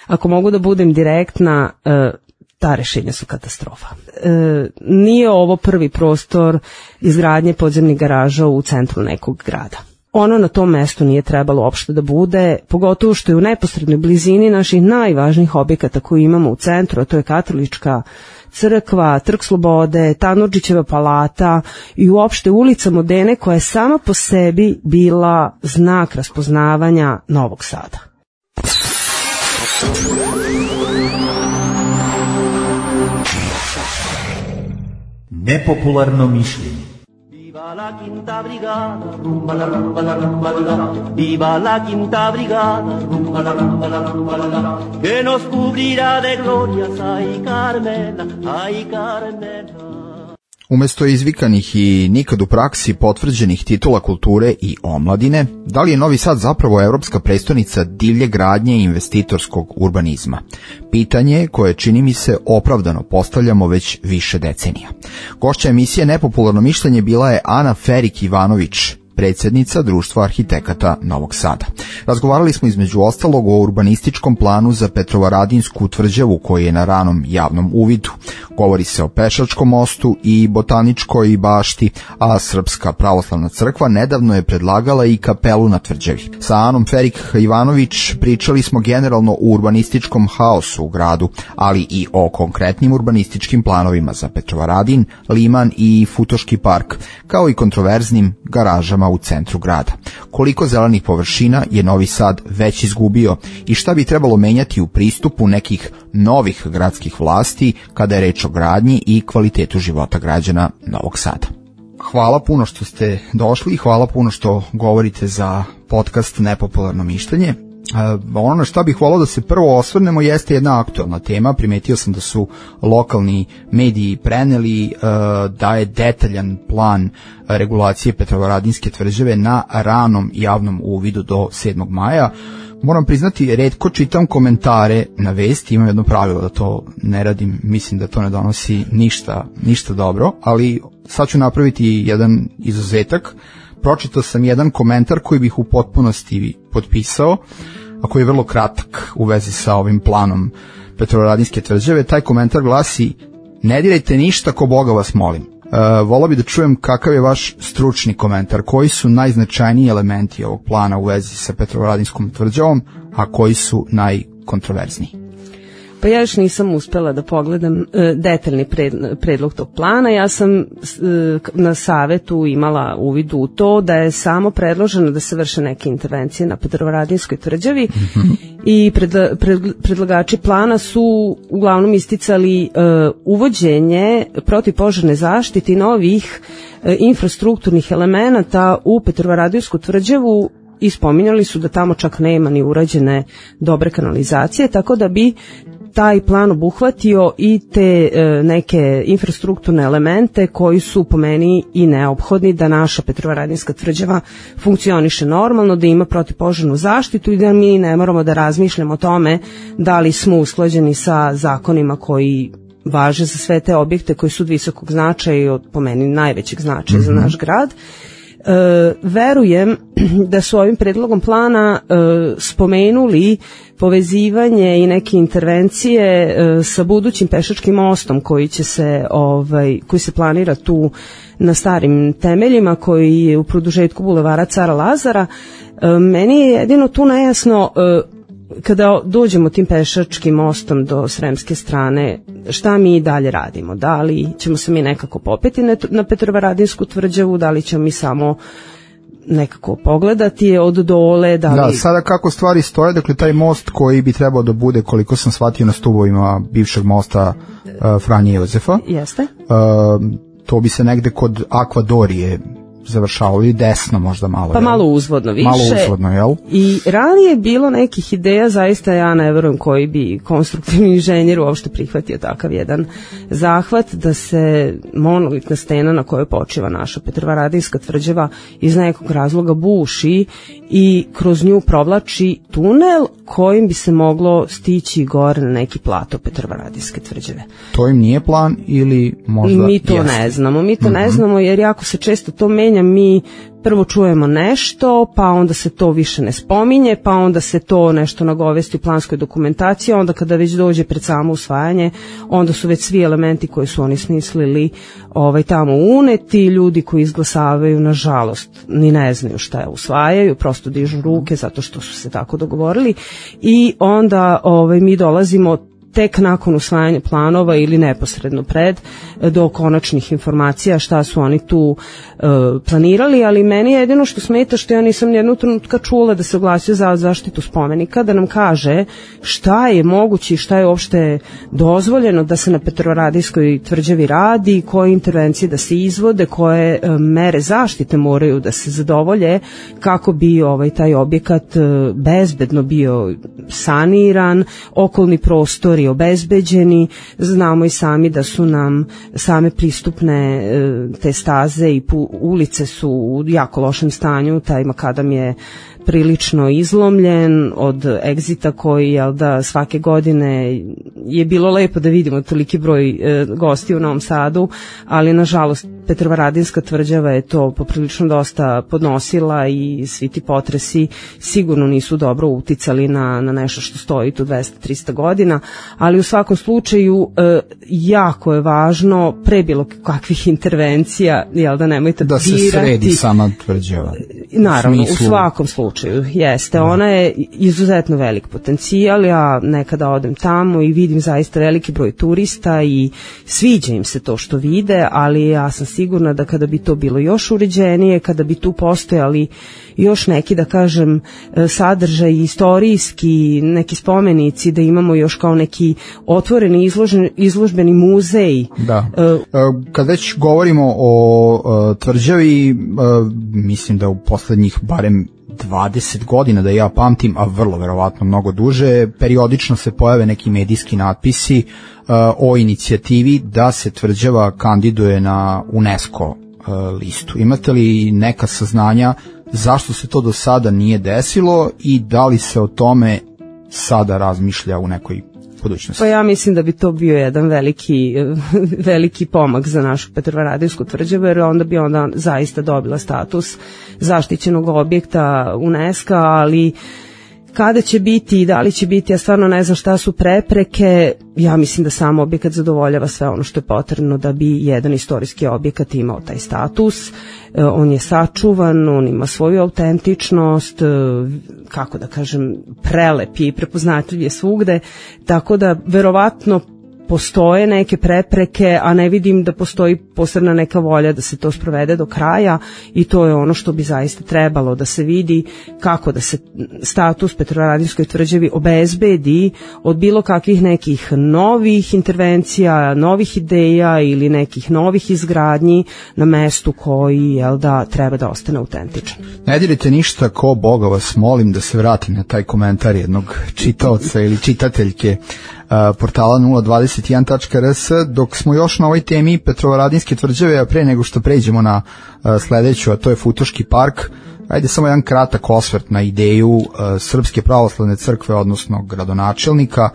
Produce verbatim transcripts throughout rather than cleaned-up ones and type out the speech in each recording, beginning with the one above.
ako mogu da budem direktna, ta rešenja su katastrofa. E, nije ovo prvi prostor izgradnje podzemnih garaža u centru nekog grada. Ono na tom mestu nije trebalo uopšte da bude, pogotovo što je u neposrednoj blizini naših najvažnijih objekata koji imamo u centru, a to je Katolička crkva, Trg Slobode, Tanurdžićeva palata i uopšte ulica Modene, koja je sama po sebi bila znak raspoznavanja Novog Sada. Nepopularno mišljenje. Viva la quinta brigada, rumba la rumba la rumba la, viva la quinta brigada, rumba la rumba la rumba la, que nos cubrirá de glorias, ay Carmela, ay Carmela. Umesto izvikanih i nikad u praksi potvrđenih titula kulture i omladine, da li je Novi Sad zapravo evropska prestonica divlje gradnje i investitorskog urbanizma? Pitanje koje čini mi se opravdano postavljamo već više decenija. Gošća emisije Nepopularno mišljenje bila je Ana Ferik-Ivanović, predsjednica Društva arhitekata Novog Sada. Razgovarali smo između ostalog o urbanističkom planu za Petrovaradinsku tvrđavu koji je na ranom javnom uvidu. Govori se o Pešačkom mostu i Botaničkoj bašti, a Srpska pravoslavna crkva nedavno je predlagala i kapelu na tvrđavi. Sa Anom Ferik-Ivanović pričali smo generalno o urbanističkom haosu u gradu, ali i o konkretnim urbanističkim planovima za Petrovaradin, Liman i Futoški park, kao i kontroverznim garažama u centru grada. Koliko zelenih površina je Novi Sad već izgubio i šta bi trebalo menjati u pristupu nekih novih gradskih vlasti kada je reč o gradnji i kvalitetu života građana Novog Sada. Hvala puno što ste došli i hvala puno što govorite za podcast Nepopularno mišljenje. Ono na šta bih volao da se prvo osvrnemo jeste jedna aktualna tema. Primetio sam da su lokalni mediji preneli da je detaljan plan regulacije Petrovaradinske tvrđave na ranom javnom uvidu do sedmog maja. Moram priznati, retko čitam komentare na vesti, imam jedno pravilo da to ne radim, mislim da to ne donosi ništa, ništa dobro, ali sad ću napraviti jedan izuzetak. Pročitao sam jedan komentar koji bih u potpunosti potpisao, a koji je vrlo kratak u vezi sa ovim planom Petrovaradinske tvrđave. Taj komentar glasi: ne dirajte ništa, ko Boga vas molim. E, volao bi da čujem kakav je vaš stručni komentar, koji su najznačajniji elementi ovog plana u vezi sa Petrovaradinskom tvrđavom, a koji su najkontroverzniji. Pa ja još nisam uspela da pogledam e, detaljni pred, predlog tog plana. Ja sam e, na savetu imala uvid u to da je samo predloženo da se vrše neke intervencije na Petrovaradinskoj tvrđavi mm-hmm. i pred, pred, predlagači plana su uglavnom isticali e, uvođenje protivpožarne zaštite i novih e, infrastrukturnih elemenata u Petrovaradinsku tvrđavu i spominjali su da tamo čak nema ni urađene dobre kanalizacije, tako da bi taj plan obuhvatio i te e, neke infrastrukturne elemente koji su po meni i neophodni da naša Petrovaradinska tvrđava funkcioniše normalno, da ima protivpožarnu zaštitu i da mi ne moramo da razmišljamo o tome da li smo usklađeni sa zakonima koji važe za sve te objekte koji su od visokog značaja i od po meni najvećeg značaja mm-hmm. za naš grad. E, verujem da su ovim predlogom plana e, spomenuli povezivanje i neke intervencije e, sa budućim pešačkim mostom koji će se ovaj koji se planira tu na starim temeljima, koji je u produžetku bulevara Cara Lazara. E, meni je jedino tu nejasno e, kada dođemo tim pešačkim mostom do Sremske strane, šta mi dalje radimo? Da li ćemo se mi nekako popeti na Petrovaradinsku tvrđavu, da li ćemo mi samo nekako pogledati od dole? Da, li... da, sada kako stvari stoje, dakle taj most koji bi trebao da bude, koliko sam shvatio, na stubovima bivšeg mosta uh, Franje Jozefa. Jeste. Uh, to bi se negde kod Akvadorije završavalo i desno možda malo. Pa jel? Malo uzvodno više. Malo uzvodno, jel? I ranije je bilo nekih ideja, zaista ja ne verujem koji bi konstruktivni inženjer uopšte prihvatio takav jedan zahvat, da se monolitna stena na kojoj počiva naša Petrovaradinska tvrđava iz nekog razloga buši i kroz nju provlači tunel kojim bi se moglo stići gore na neki plato Petrovaradinske tvrđave. To im nije plan ili možda mi to jeste? ne znamo, mi to mm-hmm. ne znamo jer jako se često to menja ulaganja mi prvo čujemo nešto, pa onda se to više ne spominje, pa onda se to nešto nagovesti u planskoj dokumentaciji, onda kada već dođe pred samo usvajanje, onda su već svi elementi koji su oni smislili ovaj, tamo uneti, ljudi koji izglasavaju, nažalost, ni ne znaju šta je usvajaju, prosto dižu ruke zato što su se tako dogovorili i onda ovaj, mi dolazimo tek nakon usvajanja planova ili neposredno pred do konačnih informacija šta su oni tu e, planirali, ali meni je jedino što smeta što ja nisam nijednog trenutka čula da se oglasio za zaštitu spomenika, da nam kaže šta je moguće i šta je uopšte dozvoljeno da se na Petrovaradijskoj tvrđavi radi, koje intervencije da se izvode, koje e, mere zaštite moraju da se zadovolje kako bi ovaj taj objekat e, bezbedno bio saniran, okolni prostori obezbeđeni, znamo i sami da su nam same pristupne te staze i ulice su u jako lošem stanju, taj makadam je prilično izlomljen od egzita koji jel da svake godine je bilo lepo da vidimo toliki broj e, gosti u Novom Sadu, ali nažalost Petrovaradinska tvrđava je to poprilično dosta podnosila i svi ti potresi sigurno nisu dobro uticali na, na nešto što stoji tu dvesta do trista godina, ali u svakom slučaju e, jako je važno pre bilo kakvih intervencija, jel da nemojte da se dirati, sredi sama tvrđava. Naravno, u, u svakom slučaju jeste, ona je izuzetno velik potencijal, ja nekada odem tamo i vidim zaista veliki broj turista i sviđa im se to što vide, ali ja sam sigurna da kada bi to bilo još uređenije, kada bi tu postojali još neki, da kažem, sadržaj istorijski, neki spomenici, da imamo još kao neki otvoreni izložen, izložbeni muzej. Da. Kad već govorimo o tvrđavi, mislim da u poslednjih barem dvadeset godina da ja pamtim, a vrlo verovatno mnogo duže, periodično se pojave neki medijski natpisi uh, o inicijativi da se tvrđava kandiduje na UNESCO uh, listu. Imate li neka saznanja zašto se to do sada nije desilo i da li se o tome sada razmišlja u nekoj budućnosti? Pa ja mislim da bi to bio jedan veliki, veliki pomak za našu Petrovaradijsku tvrđavu, jer onda bi onda zaista dobila status zaštićenog objekta UNESCO, ali kada će biti i da li će biti, ja stvarno ne znam šta su prepreke, ja mislim da sam objekat zadovoljava sve ono što je potrebno da bi jedan istorijski objekat imao taj status, on je sačuvan, on ima svoju autentičnost, kako da kažem, prelep je i prepoznatljiv je svugde, tako da verovatno postoje neke prepreke, a ne vidim da postoji posebna neka volja da se to sprovede do kraja i to je ono što bi zaista trebalo da se vidi kako da se status Petrovaradinskoj tvrđavi obezbedi od bilo kakvih nekih novih intervencija, novih ideja ili nekih novih izgradnji na mestu koji jel da treba da ostane autentičan. Ne dirite ništa, ko Boga vas molim da se vratim na taj komentar jednog čitaoca ili čitateljke portala nula dvadeset jedan tačka r s, dok smo još na ovoj temi Petrovaradinske tvrđave, a pre nego što pređemo na sledeću, a to je Futoški park, ajde samo jedan kratak osvrt na ideju Srpske pravoslavne crkve, odnosno gradonačelnika,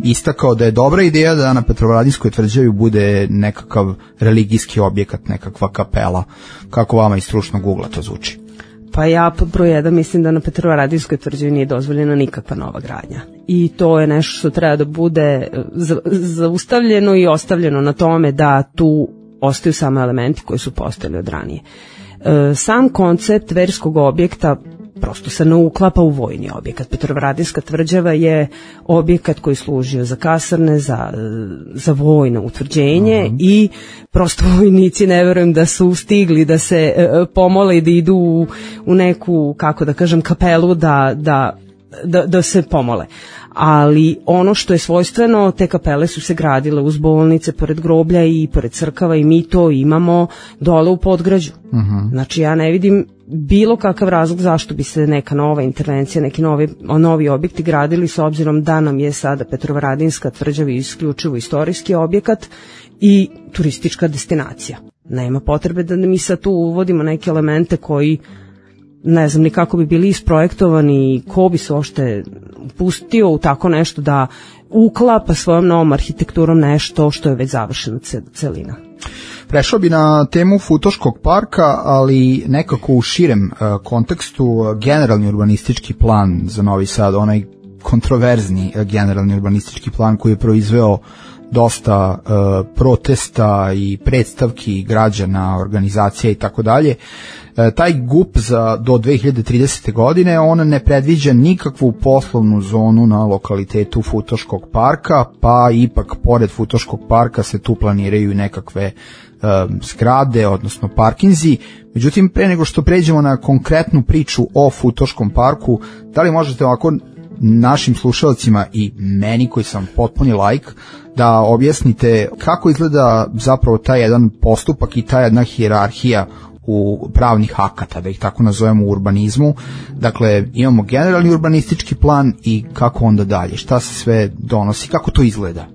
istakao da je dobra ideja da na Petrovaradinskoj tvrđavi bude nekakav religijski objekat, nekakva kapela. Kako vama iz stručnog ugla to zvuči? Pa ja pod broj jedan mislim da na Petrovaradinskoj tvrđavi nije dozvoljena nikakva nova gradnja. I to je nešto što treba da bude zaustavljeno i ostavljeno na tome da tu ostaju samo elementi koji su postojali od ranije. E, sam koncept verskog objekta prosto se ne uklapa u vojni objekat. Petrovaradinska tvrđava je objekat koji služio za kasarne, za, za vojno utvrđenje uh-huh. i prosto vojnici ne verujem da su stigli da se e, pomole i da idu u, u neku, kako da kažem, kapelu da, da, da, da se pomole. Ali ono što je svojstveno, te kapele su se gradile uz bolnice, pored groblja i pored crkava i mi to imamo dole u Podgrađu. Uh-huh. Znači ja ne vidim bilo kakav razlog zašto bi se neka nova intervencija, neki novi, novi objekti gradili s obzirom da nam je sada Petrovaradinska tvrđava isključivo istorijski objekat i turistička destinacija. Nema potrebe da mi sad tu uvodimo neke elemente koji ne znam ni kako bi bili isprojektovani i ko bi se uopšte pustio u tako nešto da uklapa svojom novom arhitekturom nešto što je već završena celina. Prešao bi na temu Futoškog parka, ali nekako u širem uh, kontekstu. Generalni urbanistički plan za Novi Sad, onaj kontroverzni uh, generalni urbanistički plan koji je proizveo dosta uh, protesta i predstavki građana, organizacija i tako dalje. Taj G U P za do dve hiljade tridesete. godine, on ne predviđa nikakvu poslovnu zonu na lokalitetu Futoškog parka, pa ipak pored Futoškog parka se tu planiraju nekakve um, zgrade, odnosno parkinzi. Međutim, pre nego što pređemo na konkretnu priču o Futoškom parku, da li možete ovako našim slušalcima i meni koji sam potpuni laik da objasnite kako izgleda zapravo taj jedan postupak i ta jedna hijerarhija u pravnih akata, da ih tako nazovemo, u urbanizmu. Dakle, imamo generalni urbanistički plan i kako onda dalje, šta se sve donosi, kako to izgleda?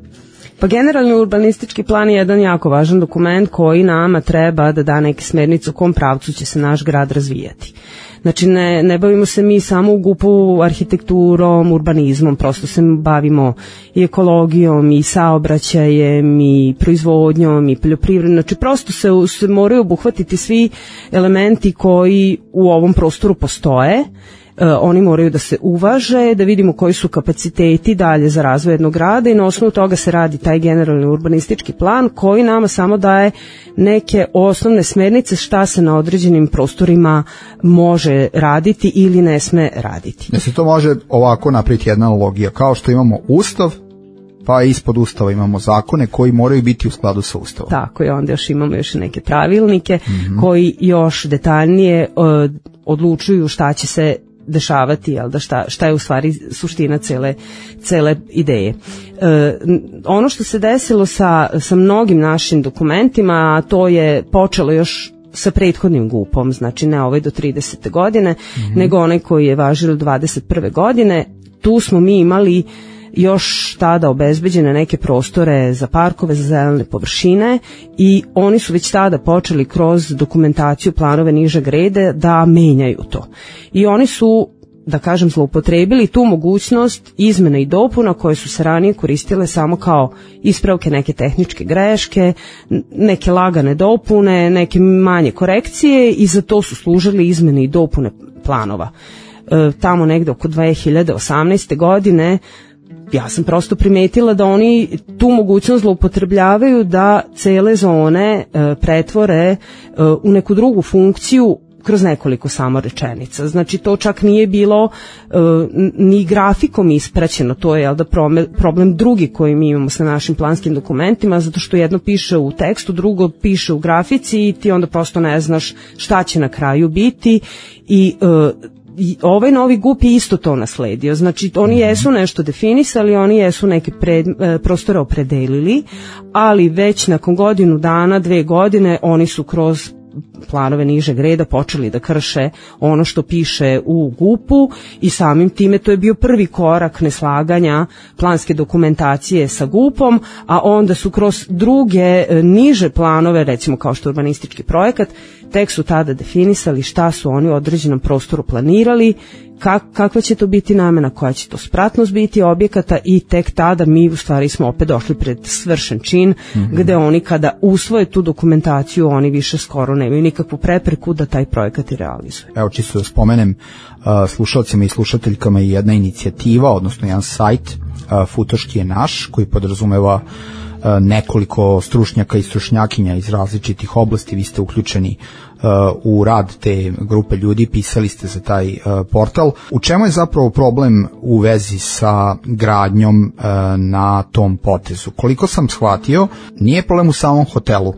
Pa generalni urbanistički plan je jedan jako važan dokument koji nama treba da da neke smernice u kom pravcu će se naš grad razvijati. Znači ne, ne bavimo se mi samo u G U P-u arhitekturom, urbanizmom, prosto se bavimo i ekologijom, i saobraćajem, i proizvodnjom, i poljoprivredom. Znači prosto se, se moraju obuhvatiti svi elementi koji u ovom prostoru postoje. Uh, oni moraju da se uvaže, da vidimo koji su kapaciteti dalje za razvoj jednog grada i na osnovu toga se radi taj generalni urbanistički plan koji nama samo daje neke osnovne smernice šta se na određenim prostorima može raditi ili ne sme raditi. Da se to može ovako napraviti jedna analogija, kao što imamo Ustav, pa ispod Ustava imamo zakone koji moraju biti u skladu sa Ustavom. Tako je, onda još imamo još neke pravilnike mm-hmm. koji još detaljnije uh, odlučuju šta će se dešavati, jel da, šta, šta je u stvari suština cele, cele ideje. E, ono što se desilo sa, sa mnogim našim dokumentima, to je počelo još sa prethodnim G U P-om, znači ne ovaj do tridesete. godine, mm-hmm. nego onaj koji je važio do dvadeset prve. godine. Tu smo mi imali još tada obezbeđene neke prostore za parkove, za zelene površine i oni su već tada počeli kroz dokumentaciju planove nižeg reda da menjaju to. I oni su, da kažem, zloupotrebili tu mogućnost izmena i dopuna koje su se ranije koristile samo kao ispravke neke tehničke greške, neke lagane dopune, neke manje korekcije i za to su služili izmene i dopune planova. E, tamo negde oko dve hiljade osamnaeste. godine ja sam prosto primetila da oni tu mogućnost zloupotrebljavaju da cele zone e, pretvore e, u neku drugu funkciju kroz nekoliko samo rečenica. Znači to čak nije bilo e, ni grafikom ispraćeno, to je jel da problem drugi koji mi imamo sa našim planskim dokumentima, zato što jedno piše u tekstu, drugo piše u grafici i ti onda prosto ne znaš šta će na kraju biti i e, I ovaj novi G U P je isto to nasledio. Znači oni jesu nešto definisali, oni jesu neke pred, e, prostore opredelili, ali već nakon godinu dana, dve godine oni su kroz planove nižeg reda počeli da krše ono što piše u G U P-u i samim time to je bio prvi korak neslaganja planske dokumentacije sa G U P-om, a onda su kroz druge e, niže planove, recimo kao što je urbanistički projekat, tek su tada definisali šta su oni u određenom prostoru planirali, kak, kakva će to biti namena, koja će to spratnost biti objekata i tek tada mi u stvari smo opet došli pred svršen čin mm-hmm. gde oni kada usvoje tu dokumentaciju oni više skoro nemaju nikakvu prepreku da taj projekat i realizuju. Evo čisto da spomenem uh, slušalcima i slušateljkama i jedna inicijativa, odnosno jedan sajt uh, Futoški je naš koji podrazumeva nekoliko stručnjaka i stručnjakinja iz različitih oblasti. Vi ste uključeni uh, u rad te grupe ljudi, pisali ste za taj uh, portal. U čemu je zapravo problem u vezi sa gradnjom uh, na tom potezu? Koliko sam shvatio, nije problem u samom hotelu,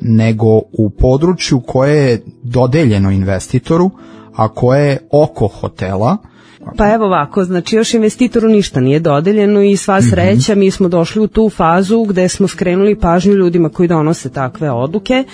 nego u području koje je dodeljeno investitoru, a koje je oko hotela. Pa evo ovako, znači još investitoru ništa nije dodeljeno i sva sreća mi smo došli u tu fazu gde smo skrenuli pažnju ljudima koji donose takve odluke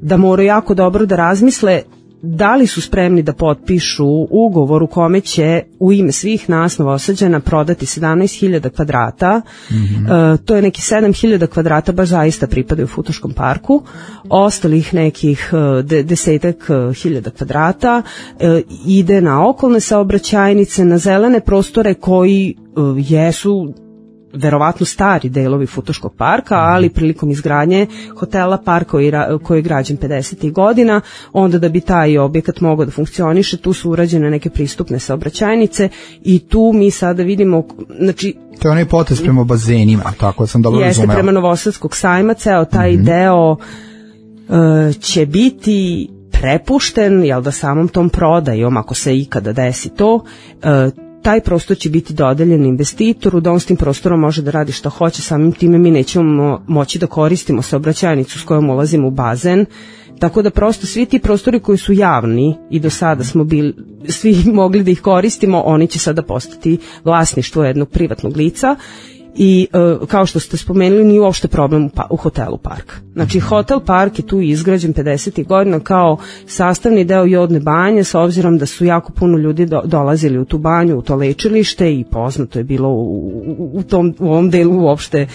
da moraju jako dobro da razmisle da li su spremni da potpišu ugovor u kome će u ime svih nas Novosađana prodati sedamnaest hiljada kvadrata, mm-hmm. e, to je neki sedam hiljada kvadrata baš zaista pripadaju Futoškom parku, ostalih nekih de, desetak hiljada kvadrata e, ide na okolne saobraćajnice, na zelene prostore koji e, jesu verovatno stari delovi Futoškog parka, ali prilikom izgradnje hotela Park koji, koji je građen pedesetih godina, onda da bi taj objekat mogao da funkcioniše, tu su urađene neke pristupne saobraćajnice i tu mi sada vidimo, znači to je onaj potez prema bazenima, tako sam dobro razumela. Jeste, prema Novosadskog sajma, ceo taj mm-hmm. deo uh, će biti prepušten, jel da, samom tom prodajom, ako se ikada desi to, uh, taj prostor će biti dodeljen investitoru, da on s tim prostorom može da radi što hoće, samim time mi nećemo moći da koristimo saobraćajnicu s kojom ulazimo u bazen, tako da prosto svi ti prostori koji su javni i do sada smo bili, svi mogli da ih koristimo, oni će sada postati vlasništvo jednog privatnog lica. I e, kao što ste spomenuli, nije uopšte problem u, pa, u hotelu Park. Znači, hotel Park je tu izgrađen pedesetih godina kao sastavni deo Jodne banje, s obzirom da su jako puno ljudi do, dolazili u tu banju, u to lečilište, i poznato je bilo u, u, u, tom, u ovom delu uopšte e,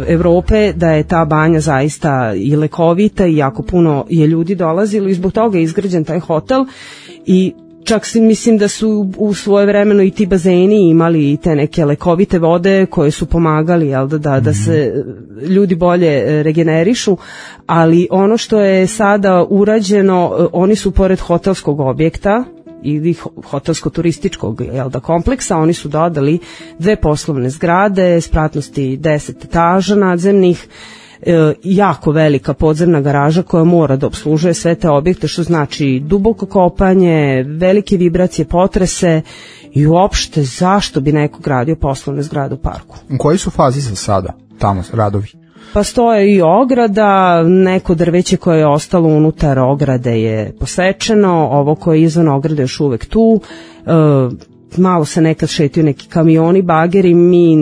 Evrope da je ta banja zaista i lekovita i jako puno je ljudi dolazilo i zbog toga je izgrađen taj hotel. I čak si mislim da su u svoje vremeno i ti bazeni imali i te neke lekovite vode koje su pomagali, jel da, da, da se ljudi bolje regenerišu, ali ono što je sada urađeno, oni su pored hotelskog objekta ili hotelsko-turističkog, jel da, kompleksa, oni su dodali dve poslovne zgrade, spratnosti deset etaža nadzemnih, E, jako velika podzemna garaža koja mora da obslužuje sve te objekte, što znači duboko kopanje, velike vibracije, potrese i uopšte zašto bi neko gradio poslovne zgrade u parku. U kojoj su fazi za sada tamo radovi? Pa stoje i ograda, neko drveće koje je ostalo unutar ograde je posečeno, ovo koje je izvan ograde još uvek tu, e, malo se nekad šetaju neki kamioni, bageri, mi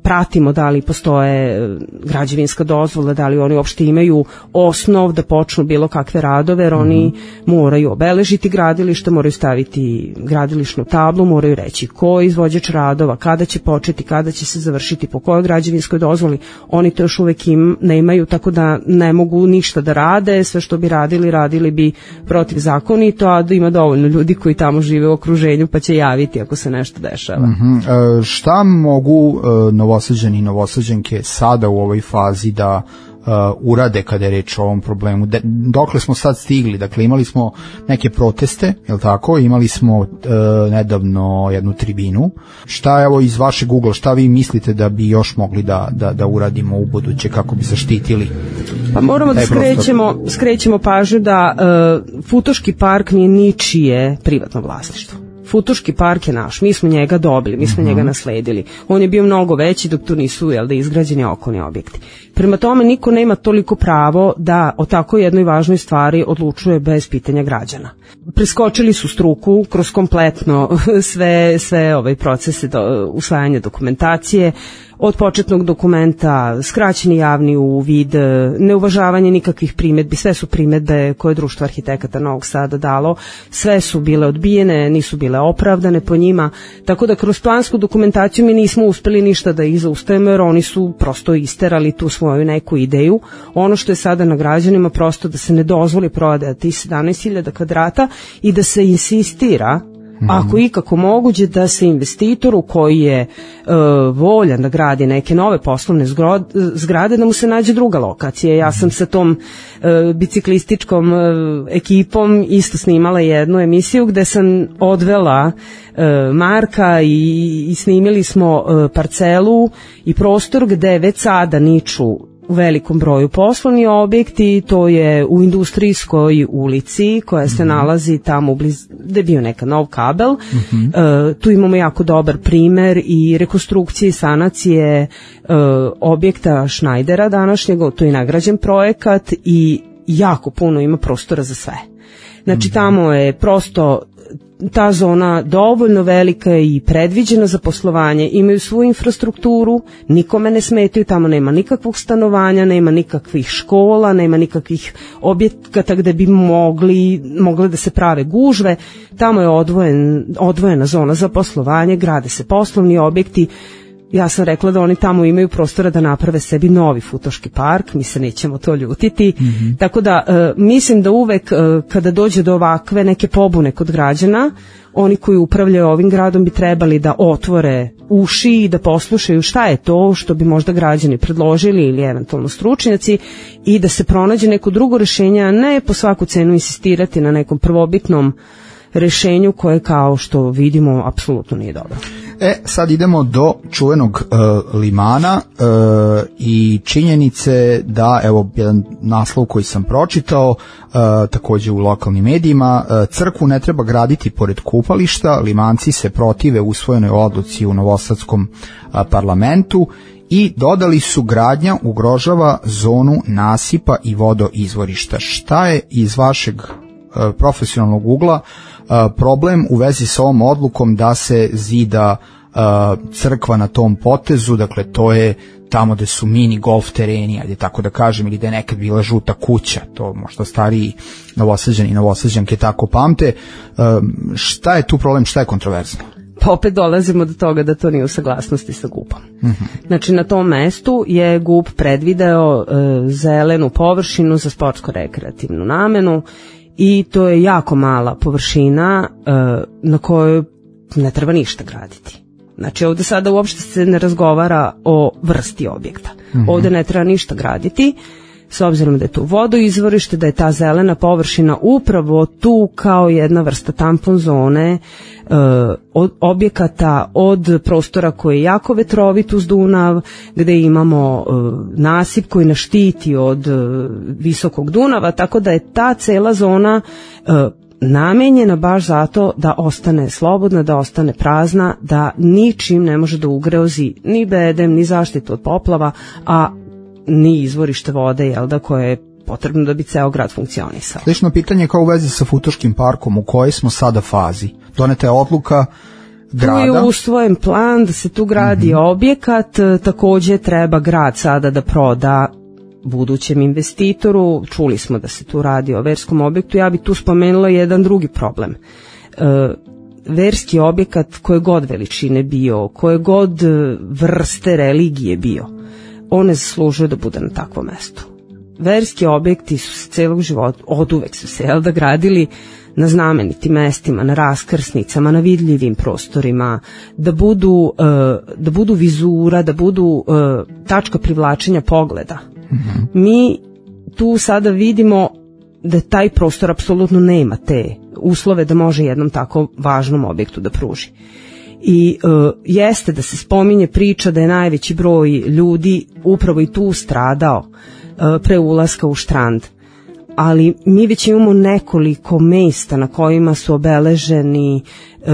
pratimo da li postoje građevinska dozvola, da li oni uopšte imaju osnov da počnu bilo kakve radove, jer oni mm-hmm. moraju obeležiti gradilište, moraju staviti gradilišnu tablu, moraju reći ko je izvođač radova, kada će početi, kada će se završiti, po kojoj građevinskoj dozvoli. Oni to još uvek im ne imaju, tako da ne mogu ništa da rade, sve što bi radili, radili bi protivzakonito, a da ima dovoljno ljudi koji tamo žive u okruženju pa će javiti ako se nešto dešava. Mm-hmm. E, šta mogu e, Novosađani i Novosađanke sada u ovoj fazi da Uh, urade kada je reč o ovom problemu? De, dokle smo sad stigli? Dakle, imali smo neke proteste, je li tako? Imali smo uh, nedavno jednu tribinu. Šta, evo, iz vašeg ugla, šta vi mislite da bi još mogli da, da, da uradimo u buduće kako bi zaštitili? Pa moramo da skrećemo, skrećemo pažnju da uh, Futoški park nije ničije privatno vlasništvo. Futoški park je naš, mi smo njega dobili, mi smo uh-huh. njega nasledili. On je bio mnogo veći dok tu nisu, jel da, izgrađeni okolni objekti. Prema tome niko nema toliko pravo da o tako jednoj važnoj stvari odlučuje bez pitanja građana. Preskočili su struku kroz kompletno sve, sve ovaj procese do, usvajanja dokumentacije, od početnog dokumenta, skraćeni javni uvid, neuvažavanje nikakvih primedbi, sve su primedbe koje je Društvo arhitekata Novog Sada dalo, sve su bile odbijene, nisu bile opravdane po njima, tako da kroz plansku dokumentaciju mi nismo uspeli ništa da ih zaustavimo, jer oni su prosto isterali tu svoju neku ideju. Ono što je sada na građanima prosto da se ne dozvoli prodaja tih sedamnaest hiljada kvadrata i da se insistira, ako ikako moguće, da se investitoru koji je e, voljan da gradi neke nove poslovne zgrade, da mu se nađe druga lokacija. Ja sam sa tom e, biciklističkom e, ekipom isto snimala jednu emisiju gde sam odvela e, Marka i, i snimili smo e, parcelu i prostor gde već sada niču u velikom broju poslovni objekti, to je u Industrijskoj ulici koja se mm-hmm. nalazi tamo bliz, gde je bio neka nov kabel. Mm-hmm. E, tu imamo jako dobar primer i rekonstrukcije i sanacije e, objekta Šnajdera današnjeg, to je nagrađen projekat i jako puno ima prostora za sve. Znači mm-hmm. tamo je prosto ta zona dovoljno velika i predviđena za poslovanje, imaju svoju infrastrukturu, nikome ne smetaju, tamo nema nikakvog stanovanja, nema nikakvih škola, nema nikakvih objekata gde bi mogli, mogle da se prave gužve, tamo je odvojen, odvojena zona za poslovanje, grade se poslovni objekti, ja sam rekla da oni tamo imaju prostora da naprave sebi novi futoški park, mi se nećemo to ljutiti, mm-hmm. tako da e, mislim da uvek e, kada dođe do ovakve neke pobune kod građana, oni koji upravljaju ovim gradom bi trebali da otvore uši i da poslušaju šta je to što bi možda građani predložili ili eventualno stručnjaci i da se pronađe neko drugo rešenje, a ne po svaku cenu insistirati na nekom prvobitnom rešenju koje, kao što vidimo, apsolutno nije dobro. E, sad idemo do čuvenog uh, limana uh, i činjenice da, evo, jedan naslov koji sam pročitao, uh, takođe u lokalnim medijima, uh, crkvu ne treba graditi pored kupališta, limanci se protive usvojenoj odluci u Novosadskom uh, parlamentu i dodali su gradnja ugrožava zonu nasipa i vodoizvorišta. Šta je iz vašeg uh, profesionalnog ugla problem u vezi sa ovom odlukom da se zida uh, crkva na tom potezu, dakle to je tamo gde su mini golf tereni, ajde tako da kažem, ili da je nekad bila žuta kuća, to možda stariji Novosađani i Novosađanke tako pamte. Um, šta je tu problem, šta je kontroverzno? Pa opet dolazimo do toga da to nije u saglasnosti sa G U P-om. Mm-hmm. Znači na tom mestu je G U P predvideo e, zelenu površinu za sportsko-rekreativnu namenu i to je jako mala površina e, na kojoj ne treba ništa graditi. Znači ovde sada uopšte se ne razgovara o vrsti objekta. Mm-hmm. Ovde ne treba ništa graditi, s obzirom da je tu vodoizvorište, da je ta zelena površina upravo tu kao jedna vrsta tampon zone, e, od objekata, od prostora koji je jako vetrovit uz Dunav, gde imamo e, nasip koji nas štiti od e, visokog Dunava, tako da je ta cela zona e, namenjena baš zato da ostane slobodna, da ostane prazna, da ničim ne može da ugrozi ni bedem, ni zaštitu od poplava, a ni izvorište vode, jel da, koje je potrebno da bi ceo grad funkcionisao. Slično pitanje kao u vezi sa Futoškim parkom, u kojoj smo sada fazi? Doneta je odluka grada? Tu je usvojen plan da se tu gradi mm-hmm. objekat, takođe treba grad sada da proda budućem investitoru, čuli smo da se tu radi o verskom objektu, ja bi tu spomenula jedan drugi problem. E, verski objekat koje god veličine bio, koje god vrste religije bio, on ne zaslužuje da bude na takvom mestu. Verski objekti su se celog života, od uvek su se, jel da, gradili na znamenitim mestima, na raskrsnicama, na vidljivim prostorima, da budu, da budu vizura, da budu tačka privlačenja pogleda. Mm-hmm. Mi tu sada vidimo da taj prostor apsolutno nema te uslove da može jednom tako važnom objektu da pruži. I uh, jeste da se spominje priča da je najveći broj ljudi upravo i tu stradao uh, pre ulaska u Štrand, ali mi već imamo nekoliko mesta na kojima su obeleženi uh,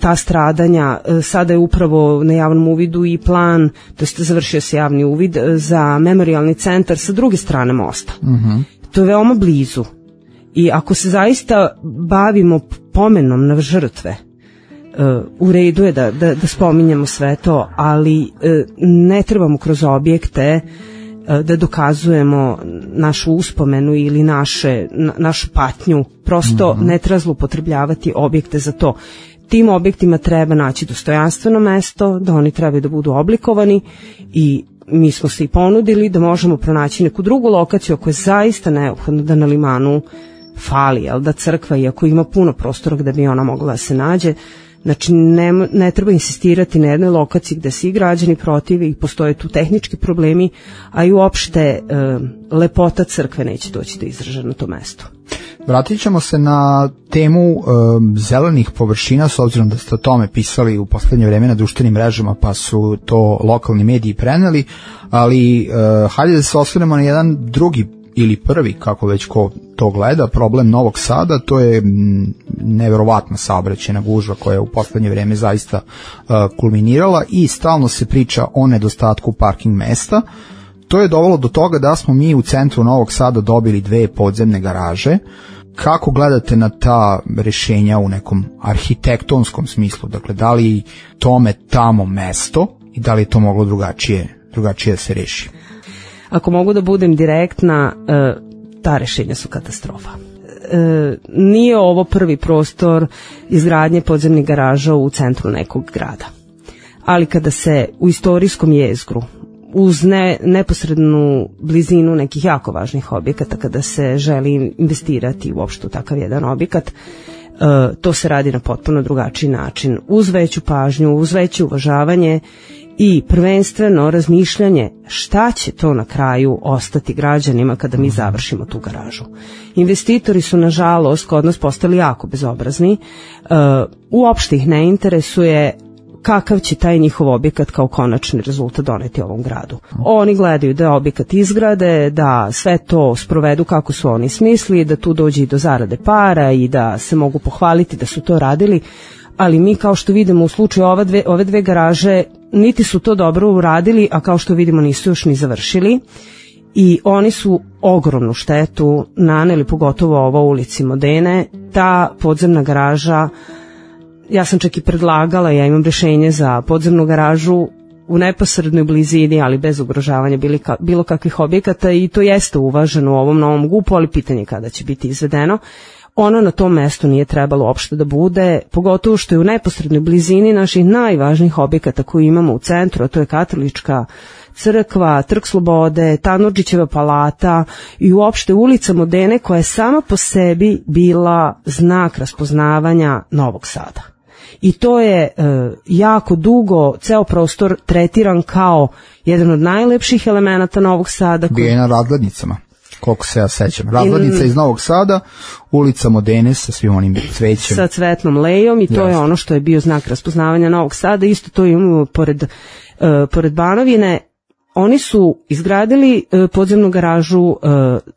ta stradanja. Uh, sada je upravo na javnom uvidu i plan, to jest završio se javni uvid uh, za memorijalni centar sa druge strane mosta. Mm-hmm. To je veoma blizu i ako se zaista bavimo pomenom na žrtve, Uh, u redu je da, da, da spominjamo sve to, ali uh, ne trebamo kroz objekte uh, da dokazujemo našu uspomenu ili naše, na, našu patnju. Prosto mm-hmm. ne treba zloupotrebljavati objekte za to. Tim objektima treba naći dostojanstveno mesto, da oni trebaju da budu oblikovani i mi smo se i ponudili da možemo pronaći neku drugu lokaciju ako je zaista neophodno da na limanu fali, jel da, crkva, iako ima puno prostora gde bi ona mogla da se nađe. Znači ne, ne treba insistirati na jednoj lokaciji gde svi građani protive i postoje tu tehnički problemi, a i uopšte e, lepota crkve neće doći do izražaja na to mesto. Vratit ćemo se na temu e, zelenih površina, s obzirom da ste o tome pisali u poslednje vreme na društvenim mrežama, pa su to lokalni mediji preneli, ali e, hajde da se osvrnemo na jedan drugi ili prvi, kako već ko to gleda, problem Novog Sada, to je neverovatna saobraćajna gužva koja je u poslednje vreme zaista uh, kulminirala i stalno se priča o nedostatku parking mesta. To je dovelo do toga da smo mi u centru Novog Sada dobili dve podzemne garaže. Kako gledate na ta rešenja u nekom arhitektonskom smislu? Dakle, da li tome tamo mesto i da li je to moglo drugačije, drugačije da se reši? Ako mogu da budem direktna, ta rešenja su katastrofa. Nije ovo prvi prostor izgradnje podzemnih garaža u centru nekog grada. ali kada se u istorijskom jezgru uz ne, neposrednu blizinu nekih jako važnih objekata, kada se želi investirati uopšte u takav jedan objekat, uh, to se radi na potpuno drugačiji način, uz veću pažnju, uz veće uvažavanje i prvenstveno razmišljanje šta će to na kraju ostati građanima kada mi završimo tu garažu. Investitori su nažalost kod nas postali jako bezobrazni, uh, uopšte ih ne interesuje kakav će taj njihov objekat kao konačni rezultat doneti ovom gradu. Oni gledaju da objekat izgrade, da sve to sprovedu kako su oni smislili, da tu dođe i do zarade para i da se mogu pohvaliti da su to radili, ali mi kao što vidimo u slučaju ove dve, ove dve garaže niti su to dobro uradili, a kao što vidimo nisu još ni završili i oni su ogromnu štetu naneli, pogotovo ovo u ulici Modene. Ta podzemna garaža, ja sam čak i predlagala, ja imam rešenje za podzemnu garažu u neposrednoj blizini, ali bez ugrožavanja bilo kakvih objekata i to jeste uvaženo u ovom novom G U P-u, ali pitanje kada će biti izvedeno. Ono na tom mestu nije trebalo uopšte da bude, pogotovo što je u neposrednoj blizini naših najvažnijih objekata koji imamo u centru, a to je Katolička crkva, Trg slobode, Tanurdžićeva palata i uopšte ulica Modene, koja je sama po sebi bila znak raspoznavanja Novog Sada. I to je e, jako dugo ceo prostor tretiran kao jedan od najlepših elemenata Novog Sada. Bio je na razglednicama, koliko se ja sećam. Razglednica iz Novog Sada, ulica Modene sa svim onim cvećem. Sa cvetnom lejom i to yes. je ono što je bio znak raspoznavanja Novog Sada. Isto to imamo pored, uh, pored Banovine. Oni su izgradili uh, podzemnu garažu, uh,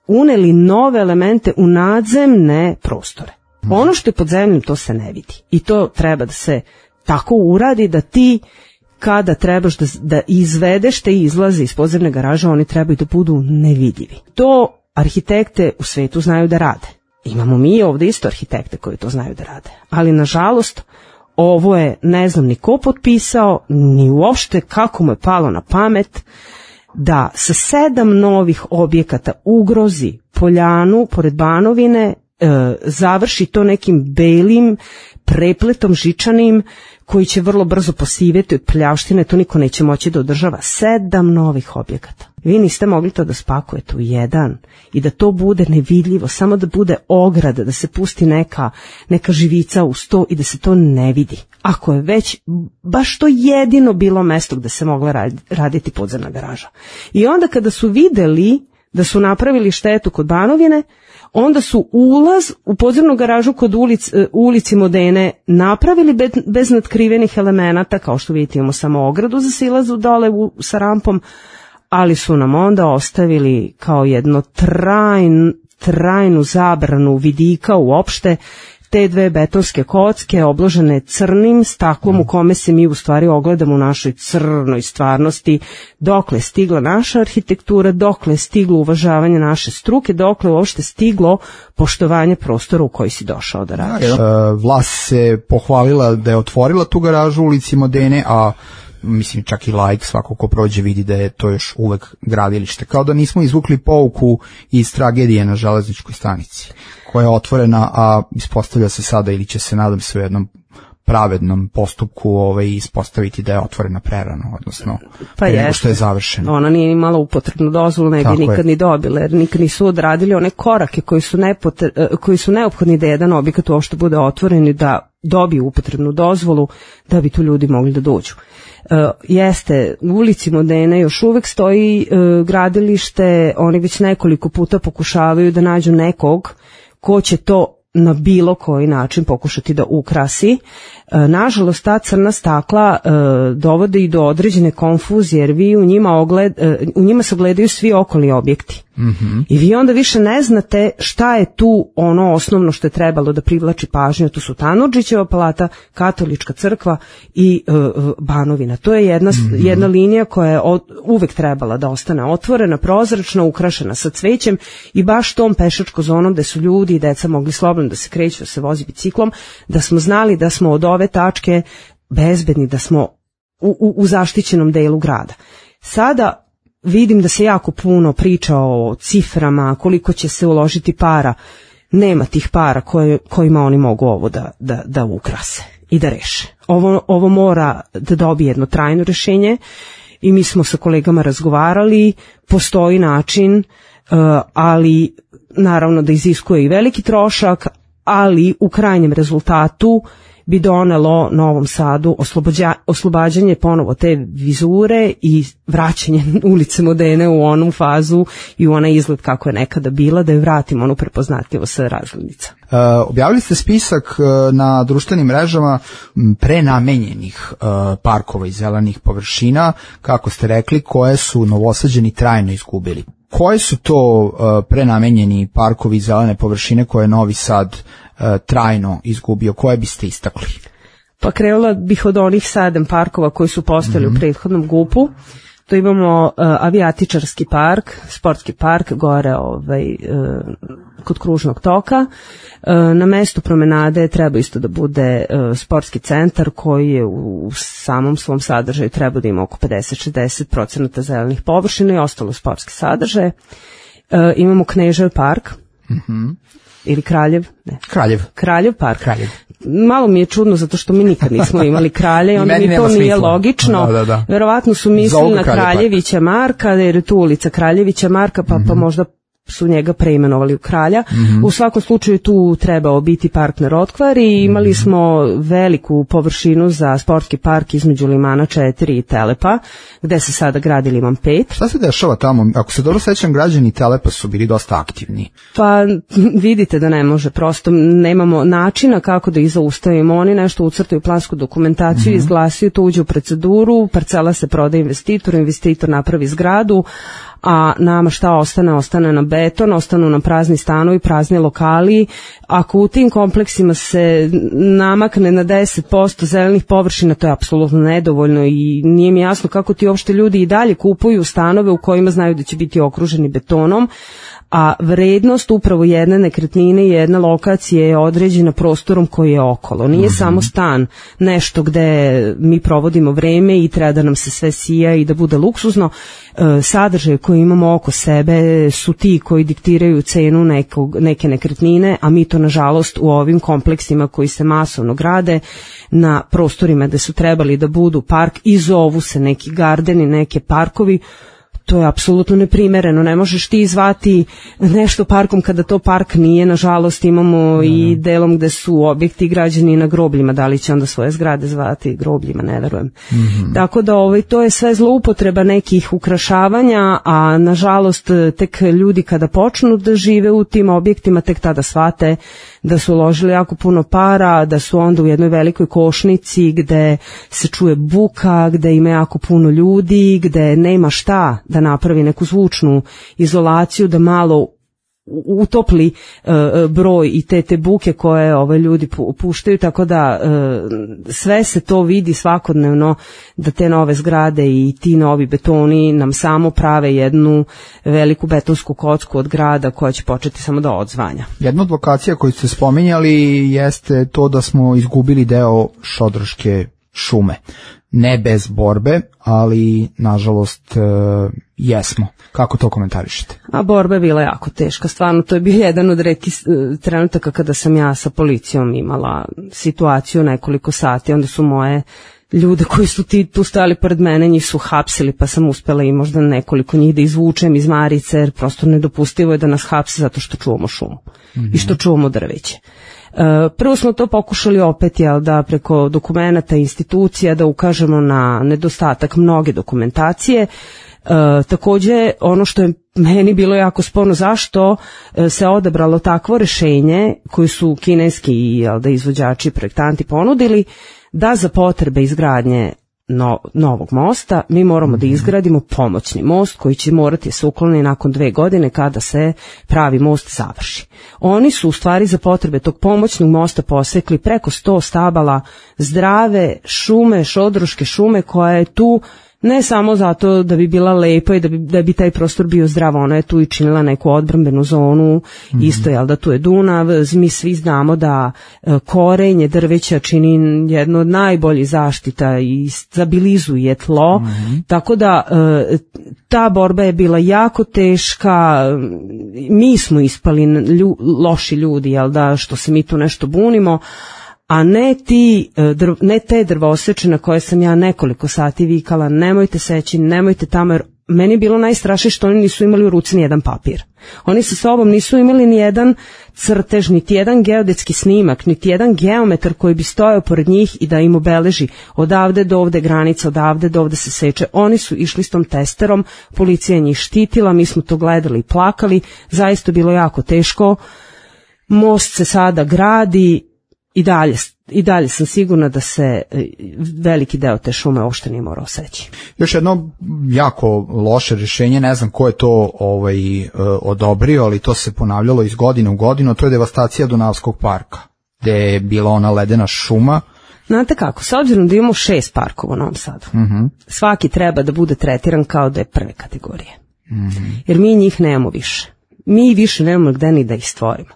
uneli nove elemente u nadzemne prostore. Mm. Ono što je pod zemljom, to se ne vidi. I to treba da se tako uradi da ti kada trebaš da, da izvedeš te izlaze iz podzemne garaže, oni trebaju da budu nevidljivi. To arhitekte u svetu znaju da rade. Imamo mi ovde isto arhitekte koji to znaju da rade. Ali nažalost, ovo je, ne znam ni ko potpisao, ni uopšte kako mu je palo na pamet da sa sedam novih objekata ugrozi poljanu pored Banovine, e, završi to nekim belim prepletom žičanim koji će vrlo brzo posiveti od prljavštine, to niko neće moći da održava. Sedam novih objekata. Vi niste mogli to da spakujete u jedan i da to bude nevidljivo, samo da bude ograda, da se pusti neka, neka živica u sto i da se to ne vidi. Ako je već baš to jedino bilo mesto gde se mogla raditi podzemna garaža. I onda kada su videli da su napravili štetu kod Banovine, onda su ulaz u podzemnu garažu kod ulic, ulici Modene napravili bez, bez natkrivenih elemenata, kao što vidite imamo samo ogradu za silazu dole u, sa rampom, ali su nam onda ostavili kao jedno trajn, trajnu zabranu vidika uopšte te dve betonske kocke obložene crnim staklom u kome se mi u stvari ogledamo u našoj crnoj stvarnosti, dokle je stigla naša arhitektura, dokle je stiglo uvažavanje naše struke, dokle je uopšte stiglo poštovanje prostora u koji si došao da radiš. Da, vlast se pohvalila da je otvorila tu garažu u ulici Modene, a mislim čak i laik svako ko prođe vidi da je to još uvek gradilište. Kao da nismo izvukli pouku iz tragedije na železničkoj stanici, koja je otvorena, a ispostavlja se sada ili će se, nadam se, u jednom pravednom postupku ovaj, ispostaviti da je otvorena prerano, odnosno pa pre nego što je završeno. Ona nije imala upotrebnu dozvolu, ne bi nikad je. ni dobila, jer nikad nisu odradili one korake koji su, nepotre, koji su neophodni da jedan objekat uopšte bude otvoren i da dobije upotrebnu dozvolu da bi tu ljudi mogli da dođu. Uh, jeste, u ulici Modene još uvek stoji uh, gradilište, oni već nekoliko puta pokušavaju da nađu nekog ko će to na bilo koji način pokušati da ukrasi. E, nažalost, ta crna stakla e, dovode i do određene konfuzije, jer vi u njima, ogled, e, u njima se ogledaju svi okolni objekti. Mm-hmm. I vi onda više ne znate šta je tu ono osnovno što je trebalo da privlači pažnju. Tu su Tanurdžićeva palata, Katolička crkva i e, Banovina. To je jedna, mm-hmm. jedna linija koja je od, uvek trebala da ostane otvorena, prozračna, ukrašena sa cvećem i baš tom pešačko zonom gde su ljudi i deca mogli slobodno da se kreću, da se vozi biciklom, da smo znali da smo od ove tačke bezbedni, da smo u, u, u zaštićenom delu grada. Sada vidim da se jako puno priča o ciframa, koliko će se uložiti para. Nema tih para koje, kojima oni mogu ovo da, da, da ukrase. i da reše. Ovo, ovo mora da dobije jedno trajno rešenje i mi smo sa kolegama razgovarali, postoji način, ali naravno da iziskuje i veliki trošak, ali u krajnjem rezultatu bi donelo Novom Sadu oslobođa, oslobađanje ponovo te vizure i vraćanje ulice Modene u onu fazu i u onaj izgled kako je nekada bila, da je vratimo onu prepoznatljivost sa razglednica. Uh, objavili ste spisak uh, na društvenim mrežama prenamenjenih uh, parkova i zelenih površina, kako ste rekli, koje su Novosađani trajno izgubili. Koje su to uh, prenamenjeni parkovi i zelene površine koje je Novi Sad uh, trajno izgubio? Koje biste istakli? Pa krenula bih od onih sedam parkova koji su postojali mm-hmm. u prethodnom gupu. To imamo uh, avijatičarski park, sportski park, gore ovaj, uh, kod kružnog toka. Uh, na mestu promenade treba isto da bude uh, sportski centar koji je u, u samom svom sadržaju treba da ima oko pedeset do šezdeset procenata zelenih površina i ostalo sportski sadržaje. Uh, imamo Knežev park. Mhm. Ili Kraljev? Ne. Kraljev. Kraljev park. Kraljev. Malo mi je čudno zato što mi nikad nismo imali kralje i onda mi to nije smisla. Logično. Da, da, da. Verovatno su mislili na Kraljevića Marka, jer je tu ulica Kraljevića Marka, pa, mm-hmm. pa možda su njega preimenovali u Kralja. Mm-hmm. U svakom slučaju tu trebao biti park na Rotkvar i imali mm-hmm. smo veliku površinu za sportski park između Limana četiri i Telepa, gde se sada gradi Liman pet. Šta se dešava tamo? Ako se dobro sećam, građani Telepa su bili dosta aktivni. Pa vidite da ne može, prosto nemamo načina kako da ih zaustavimo. Oni nešto ucrtaju plansku dokumentaciju, mm-hmm. izglasaju, to uđe u proceduru, parcela se proda investitoru, investitor napravi zgradu, a nama šta ostane? Ostane na beton, ostanu nam prazni stanovi, prazni lokali. Ako u tim kompleksima se namakne na deset posto zelenih površina, to je apsolutno nedovoljno i nije mi jasno kako ti uopšte ljudi i dalje kupuju stanove u kojima znaju da će biti okruženi betonom, a vrednost upravo jedne nekretnine i jedne lokacije je određena prostorom koji je okolo. Nije mm-hmm. samo stan nešto gde mi provodimo vreme i treba da nam se sve sija i da bude luksuzno. E, sadržaje koje imamo oko sebe su ti koji diktiraju cenu nekog, neke nekretnine, a mi to nažalost u ovim kompleksima koji se masovno grade na prostorima gde su trebali da budu park i zovu se neki gardeni, neke parkovi. To je apsolutno neprimereno, ne možeš ti zvati nešto parkom kada to park nije, nažalost imamo i delom gde su objekti građeni na grobljima, da li će onda svoje zgrade zvati grobljima, ne verujem. Mm-hmm. Tako da ovaj, to je sve zloupotreba nekih ukrašavanja, a nažalost tek ljudi kada počnu da žive u tim objektima, tek tada shvate da su uložili jako puno para, da su onda u jednoj velikoj košnici gde se čuje buka, gde ima jako puno ljudi, gde nema šta da napravi neku zvučnu izolaciju, da malo utopli uh, broj i te te buke koje ove ljudi puštaju, tako da uh, sve se to vidi svakodnevno da te nove zgrade i ti novi betoni nam samo prave jednu veliku betonsku kocku od grada koja će početi samo da odzvanja. Jedna od lokacija koju ste spominjali jeste to da smo izgubili deo Šodroške šume. Ne bez borbe, ali nažalost e, jesmo. Kako to komentarišete? A borba je bila jako teška, stvarno to je bio jedan od retkih trenutaka kada sam ja sa policijom imala situaciju nekoliko sati, onda su moje ljude koji su ti tu stali pored mene, njih su hapsili, pa sam uspela i možda nekoliko njih da izvučem iz marice, jer prosto nedopustivo je da nas hapse zato što čuvamo šumu mm-hmm. i što čuvamo drveće. Prvo smo to pokušali opet, jel, da preko dokumenata institucija da ukažemo na nedostatak mnoge dokumentacije. E, takođe, ono što je meni bilo jako sporno, zašto se odabralo takvo rešenje koji su kineski, jel, da izvođači i projektanti ponudili, da za potrebe izgradnje No, novog mosta mi moramo da izgradimo pomoćni most koji će morati se ukloniti nakon dve godine kada se pravi most završi. Oni su u stvari za potrebe tog pomoćnog mosta posekli preko sto stabala zdrave šume, šodroške šume koja je tu ne samo zato da bi bila lepa i da bi, da bi taj prostor bio zdrav, ona je tu i činila neku odbrambenu zonu, mm-hmm. isto jel da tu je Dunav, mi svi znamo da e, korenje drveća čini jedno od najboljih zaštita i stabilizuje tlo, mm-hmm. tako da e, ta borba je bila jako teška, mi smo ispali lju, loši ljudi, jel da, što se mi tu nešto bunimo, a ne ti drv, ne te drvoseče na koje sam ja nekoliko sati vikala nemojte seći, nemojte tamo, jer meni je bilo najstrašnije što oni nisu imali u ruci ni jedan papir. Oni sa sobom nisu imali ni jedan crtež, niti jedan geodetski snimak, niti jedan geometar koji bi stojao pored njih i da im obeleži odavde do ovde granica, odavde do ovde se seče. Oni su išli s tom testerom, policija njih štitila, mi smo to gledali i plakali, zaista bilo jako teško. Most se sada gradi i dalje I dalje sam sigurna da se veliki deo te šume uopšte nije morao seći. Još jedno jako loše rješenje, ne znam ko je to ovaj, odobrio, ali to se ponavljalo iz godine u godinu, to je devastacija Dunavskog parka, gde je bila ona ledena šuma. Znate kako, s obzirom da imamo šest parkova u Novom Sadu, uh-huh. svaki treba da bude tretiran kao da je prve kategorije. Uh-huh. Jer mi njih nemamo više. Mi više nemamo gde ni da ih stvorimo.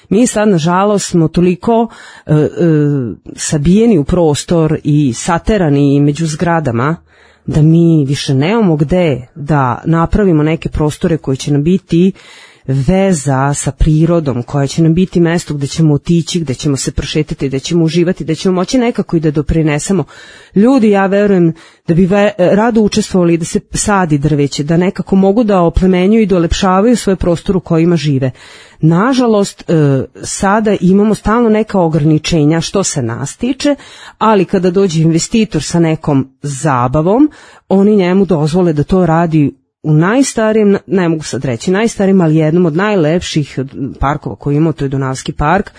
Mi sad, nažalost, smo toliko e, e, sabijeni u prostor i saterani među zgradama da mi više nemamo gde da napravimo neke prostore koji će nam biti veza sa prirodom, koja će nam biti mesto gde ćemo otići, gde ćemo se prošetati, gde ćemo uživati, gde ćemo moći nekako i da doprinesemo. Ljudi, ja verujem da bi ve, rado učestvovali da se sadi drveće, da nekako mogu da oplemenjuju i da olepšavaju svoje prostor u kojima žive. Nažalost, e, sada imamo stalno neka ograničenja što se nas tiče, ali kada dođe investitor sa nekom zabavom, oni njemu dozvole da to radi u najstarijem, ne mogu sad reći najstarijem, ali jednom od najlepših parkova koji imamo, to je Dunavski park,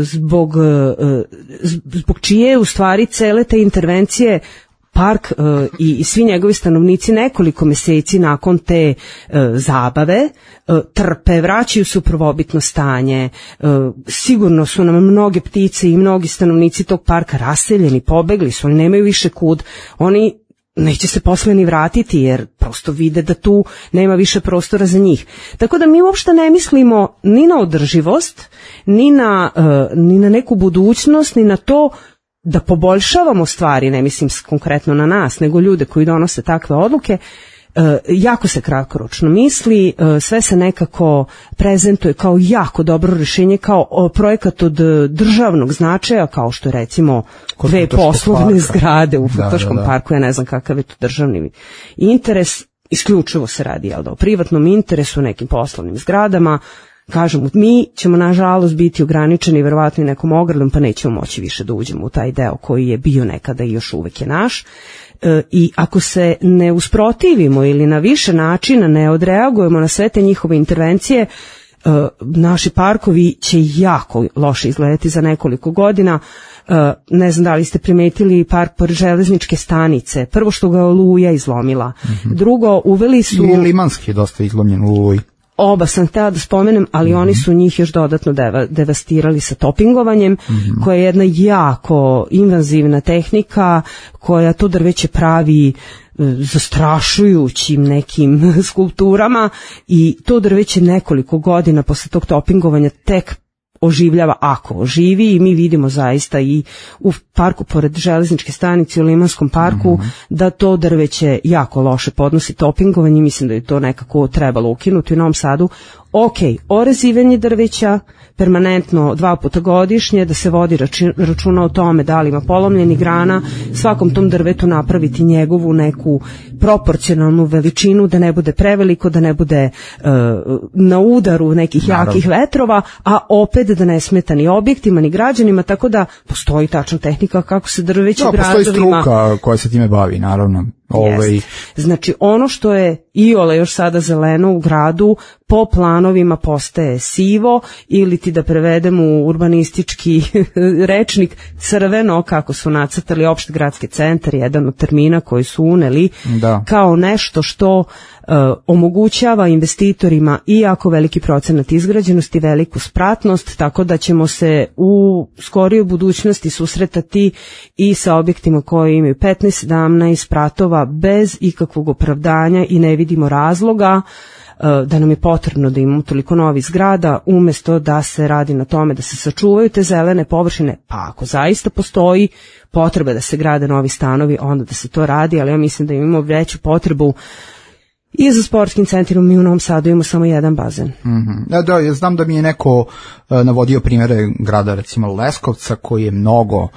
zbog, zbog čije u stvari cele te intervencije park i svi njegovi stanovnici nekoliko meseci nakon te zabave trpe, vraćaju se u prvobitno stanje. Sigurno su nam mnoge ptice i mnogi stanovnici tog parka raseljeni, pobegli su, oni nemaju više kud, oni neće se posle ni vratiti jer prosto vide da tu nema više prostora za njih. Tako da mi uopšte ne mislimo ni na održivost, ni na, uh, ni na neku budućnost, ni na to da poboljšavamo stvari, ne mislim konkretno na nas, nego ljude koji donose takve odluke. Uh, jako se kratkoročno misli, uh, sve se nekako prezentuje kao jako dobro rješenje, kao uh, projekat od uh, državnog značaja, kao što je recimo Kod dve poslovne parka. Zgrade u Futoškom da, da, da. parku, ja ne znam kakav je to državni interes, isključivo se radi jel da, o privatnom interesu, nekim poslovnim zgradama. Kažem, mi ćemo nažalost biti ograničeni verovatno i nekom ogradom, pa nećemo moći više da uđemo u taj deo koji je bio nekada i još uvek je naš. I ako se ne usprotivimo ili na više načina ne odreagujemo na sve te njihove intervencije, naši parkovi će jako loše izgledati za nekoliko godina. Ne znam da li ste primetili park pored železničke stanice. Prvo što ga Oluja izlomila. Mm-hmm. Drugo, uveli su... I Limanski je dosta izlomljen u Oluji. Oba sam htjela da spomenem, ali mm-hmm. oni su njih još dodatno deva, devastirali sa topingovanjem, mm-hmm. koja je jedna jako invazivna tehnika koja to drveće pravi zastrašujućim nekim skulpturama i to drveće nekoliko godina posle tog topingovanja tek oživljava, ako oživi, i mi vidimo zaista i u parku pored železničke stanice u Limanskom parku mm-hmm. da to drveće jako loše podnosi topingovanje. Mislim da je to nekako trebalo ukinuti u Novom Sadu. Ok, orezivanje drveća permanentno dva puta godišnje, da se vodi računa o tome da li ima polomljeni grana, svakom tom drvetu napraviti njegovu neku proporcionalnu veličinu, da ne bude preveliko, da ne bude uh, na udaru nekih Naravno. jakih vetrova, a opet da ne smeta ni objektima, ni građanima, tako da postoji tačna tehnika kako se drveće da, gradovima... Postoji struka koja se time bavi, naravno. Ovaj... Znači, ono što je iole još sada zeleno u gradu, po planovima postaje sivo, ili ti da prevedemo u urbanistički rečnik crveno, kako su nacrtali opšti gradski centar, jedan od termina koji su uneli, da. kao nešto što uh, omogućava investitorima i jako veliki procenat izgrađenosti, veliku spratnost, tako da ćemo se u skorijoj budućnosti susretati i sa objektima koji imaju petnaest sedamnaest spratova bez ikakvog opravdanja i ne vidimo razloga da nam je potrebno da imamo toliko novih zgrada, umjesto da se radi na tome da se sačuvaju te zelene površine, pa ako zaista postoji potreba da se grade novi stanovi, onda da se to radi, ali ja mislim da imamo veću potrebu I za sportskim centrom mi u Novom Sadu imamo samo jedan bazen. Mm-hmm. Da, da, ja znam da mi je neko uh, navodio primjere grada, recimo Leskovca, koji je mnogo uh,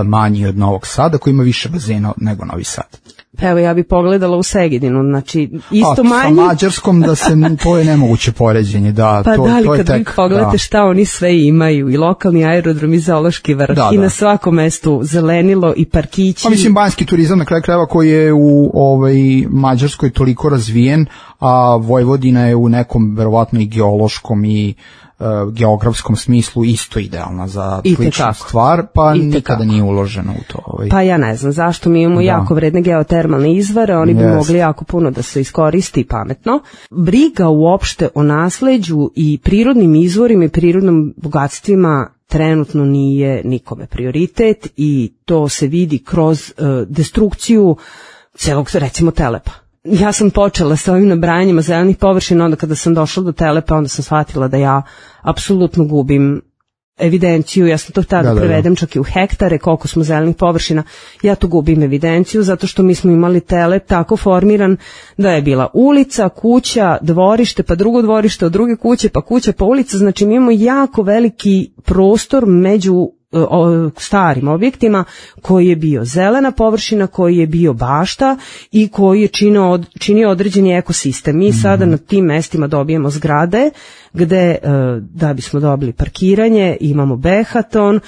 manji od Novog Sada, koji ima više bazena nego Novi Sad. Pa evo, ja bih pogledala u Segedinu, znači isto A, manji. Sa Mađarskom da se, to je nemoguće poređenje, da. Pa to, da, ali to je kad tek, vi pogledate da. Šta oni sve imaju, i lokalni aerodrom i zoološki vrh, da, i da. na svakom mestu zelenilo i parkići. Pa mislim, banjski turizam na kraju krajeva koji je u ovaj, Mađarskoj toliko razvijen, a Vojvodina je u nekom verovatno i geološkom i uh, geografskom smislu isto idealna za sličnu stvar, pa nikada nije uloženo u to. Ovaj. Pa ja ne znam zašto, mi imamo da. jako vredne geotermalne izvore, oni bi yes. mogli jako puno da se iskoristi pametno. Briga uopšte o nasleđu i prirodnim izvorima i prirodnim bogatstvima trenutno nije nikome prioritet i to se vidi kroz uh, destrukciju celog, recimo, Telepa. Ja sam počela sa ovim nabrajanjima zelenih površina, onda kada sam došla do Telepa, onda sam shvatila da ja apsolutno gubim evidenciju, ja sam to tada da, da, prevedem da. čak i u hektare, koliko smo zelenih površina, ja tu gubim evidenciju, zato što mi smo imali Telep tako formiran da je bila ulica, kuća, dvorište, pa drugo dvorište od druge kuće, pa kuća, pa ulica, znači mi imamo jako veliki prostor među o starim objektima koji je bio zelena površina, koji je bio bašta i koji je činio, činio određeni ekosistem. Mi mm-hmm. sada na tim mestima dobijemo zgrade gde da bismo dobili parkiranje, imamo behaton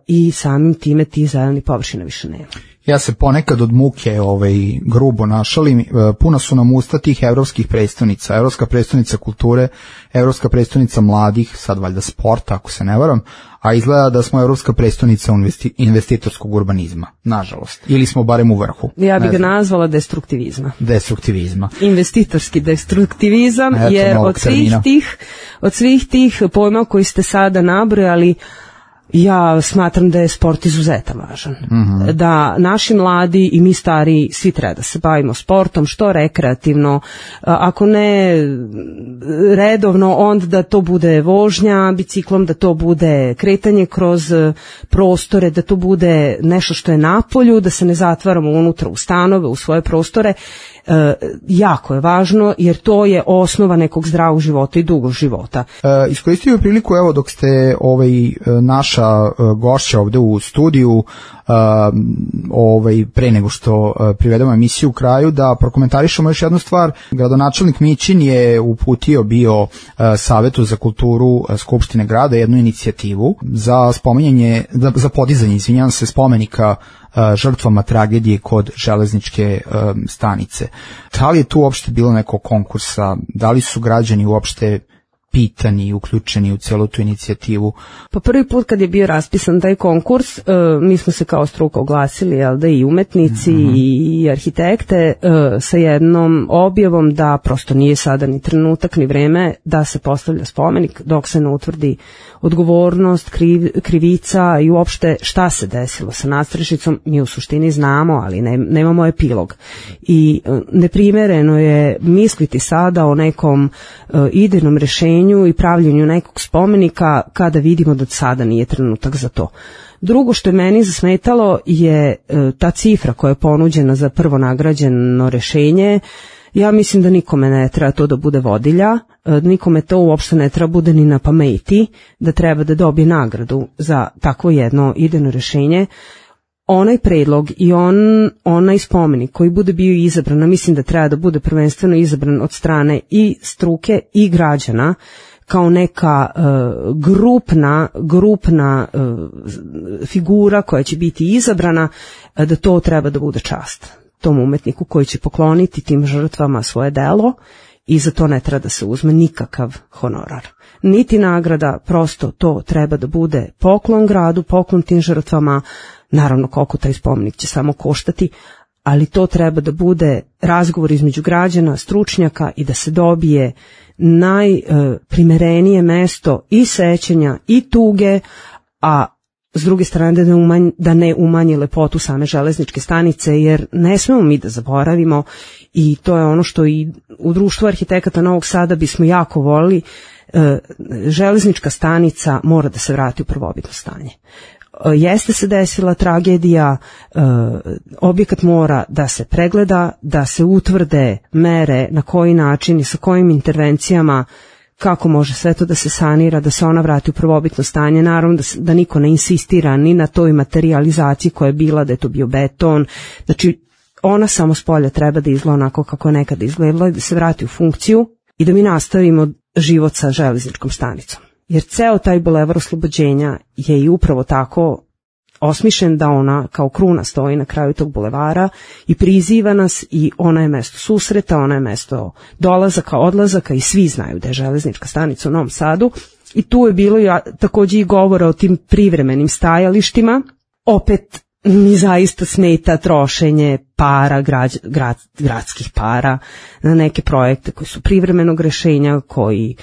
i samim time ti zeleni površina više nema. Ja se ponekad od muke ovaj, grubo našalim, puna su nam usta tih evropskih predstavnica, evropska predstavnica kulture, evropska predstavnica mladih, sad valjda sporta ako se ne varam, a izgleda da smo evropska predstavnica investi, investitorskog urbanizma, nažalost, ili smo barem u vrhu. Ja bih ga nazvala destruktivizma. Destruktivizma. Investitorski destruktivizam, Eto, jer od svih, tih, od svih tih pojma koji ste sada nabrojali, ja smatram da je sport izuzetan važan. Mm-hmm. Da naši mladi i mi stari svi treba da se bavimo sportom, što rekreativno, ako ne redovno, onda da to bude vožnja biciklom, da to bude kretanje kroz prostore, da to bude nešto što je napolju, da se ne zatvaramo unutra u stanove, u svoje prostore. E, jako je važno jer to je osnova nekog zdravog života i dugog života. E, iskoristio bih priliku, evo dok ste ovaj, naša gošća ovde u studiju, Uh, ovaj, pre nego što uh, privedemo emisiju u kraju, da prokomentarišemo još jednu stvar. Gradonačelnik Mićin je uputio bio uh, Savetu za kulturu uh, Skupštine grada jednu inicijativu za spominjanje, za, za podizanje, izvinjavam se, spomenika uh, žrtvama tragedije kod železničke uh, stanice. Da li je tu uopšte bilo nekog konkursa? Da li su građani uopšte pitani i uključeni u celu tu inicijativu? Pa prvi put kad je bio raspisan taj konkurs, uh, mi smo se kao struka oglasili, jel da, i umetnici mm-hmm. i arhitekte uh, sa jednom objavom da prosto nije sada ni trenutak ni vreme da se postavlja spomenik dok se ne utvrdi odgovornost, kriv, krivica i uopšte šta se desilo sa nadstrešnicom. Mi u suštini znamo, ali ne, nemamo epilog. I uh, neprimereno je misliti sada o nekom uh, idejnom rešenju i pravljenju nekog spomenika kada vidimo da sada nije trenutak za to. Drugo što je meni zasmetalo je e, ta cifra koja je ponuđena za prvo nagrađeno rešenje. Ja mislim da nikome ne treba to da bude vodilja, e, nikome to uopšte ne treba bude ni na pameti, da treba da dobije nagradu za takvo jedno idejno rešenje. Onaj predlog i on, onaj spomenik koji bude bio izabran, mislim da treba da bude prvenstveno izabran od strane i struke i građana kao neka uh, grupna, grupna uh, figura koja će biti izabrana, uh, da to treba da bude čast tom umetniku koji će pokloniti tim žrtvama svoje delo i za to ne treba da se uzme nikakav honorar. Niti nagrada, prosto to treba da bude poklon gradu, poklon tim žrtvama. Naravno, koliko taj spomenik će samo koštati, ali to treba da bude razgovor između građana, stručnjaka i da se dobije najprimerenije mesto i sećanja i tuge, a s druge strane da ne, umanji, da ne umanji lepotu same železničke stanice, jer ne smemo mi da zaboravimo i to je ono što i u društvu arhitekata Novog Sada bismo jako volili, železnička stanica mora da se vrati u prvobitno stanje. jeste se desila tragedija, objekat mora da se pregleda, da se utvrde mere na koji način i sa kojim intervencijama, kako može sve to da se sanira, da se ona vrati u prvobitno stanje, naravno da, da niko ne insistira ni na toj materijalizaciji koja je bila, da je to bio beton, znači ona samo s polja treba da izgleda onako kako je nekada izgledala, da se vrati u funkciju i da mi nastavimo život sa železničkom stanicom. Jer ceo taj bulevar Oslobođenja je i upravo tako osmišljen da ona kao kruna stoji na kraju tog bulevara i priziva nas i ona je mesto susreta, ona je mesto dolazaka, odlazaka i svi znaju da je železnička stanica u Novom Sadu i tu je bilo ja, takođe i govora o tim privremenim stajalištima. Opet mi zaista smeta trošenje para, grad, grad, gradskih para na neke projekte koji su privremenog rešenja, koji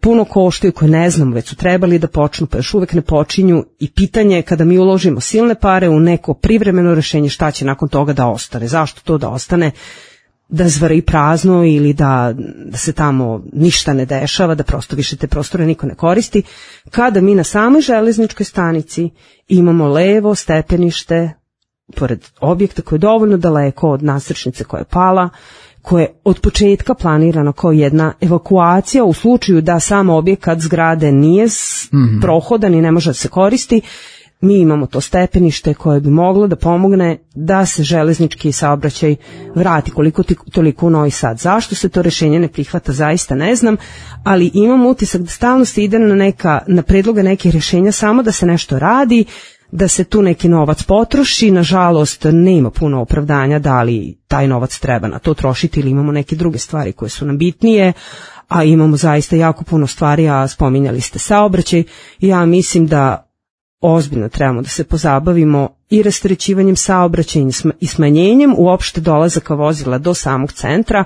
puno koštaju, koji ne znamo, već su trebali da počnu, pa još uvek ne počinju i pitanje je kada mi uložimo silne pare u neko privremeno rešenje, šta će nakon toga da ostane, zašto to da ostane, da zvari prazno ili da, da se tamo ništa ne dešava, da prosto više te prostore niko ne koristi, kada mi na samoj železničkoj stanici imamo levo stepenište pored objekta koje je dovoljno daleko od nasrečnice koja je pala, koje je od početka planirano kao jedna evakuacija u slučaju da sam objekat zgrade nije mm-hmm. prohodan i ne može da se koristi. Mi imamo to stepenište koje bi moglo da pomogne da se železnički saobraćaj vrati koliko toliko u Novi Sad. Zašto se to rešenje ne prihvata, zaista ne znam, ali imam utisak da stalno se ide na, neka, na predloga nekih rešenja samo da se nešto radi, da se tu neki novac potroši. Nažalost, nema puno opravdanja da li taj novac treba na to trošiti ili imamo neke druge stvari koje su nam bitnije, a imamo zaista jako puno stvari, a spominjali ste saobraćaj. Ja mislim da ozbiljno trebamo da se pozabavimo i rasterećivanjem saobraćaja i smanjenjem uopšte dolazaka vozila do samog centra.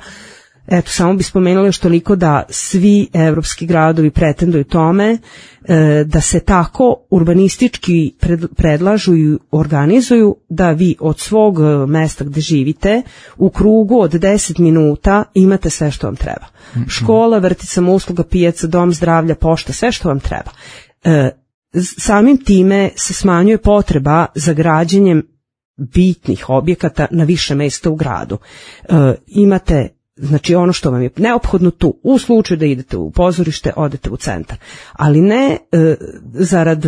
Eto, samo bi spomenula još toliko da svi evropski gradovi pretenduju tome e, da se tako urbanistički pred, predlažu i organizuju da vi od svog mesta gde živite u krugu od deset minuta imate sve što vam treba. Mm-hmm. Škola, vrtić, samousluga, pijaca, dom zdravlja, pošta, sve što vam treba. E, samim time se smanjuje potreba za građenjem bitnih objekata na više mesta u gradu. E, imate znači ono što vam je neophodno tu, u slučaju da idete u pozorište, odete u centar. Ali ne e, zarad,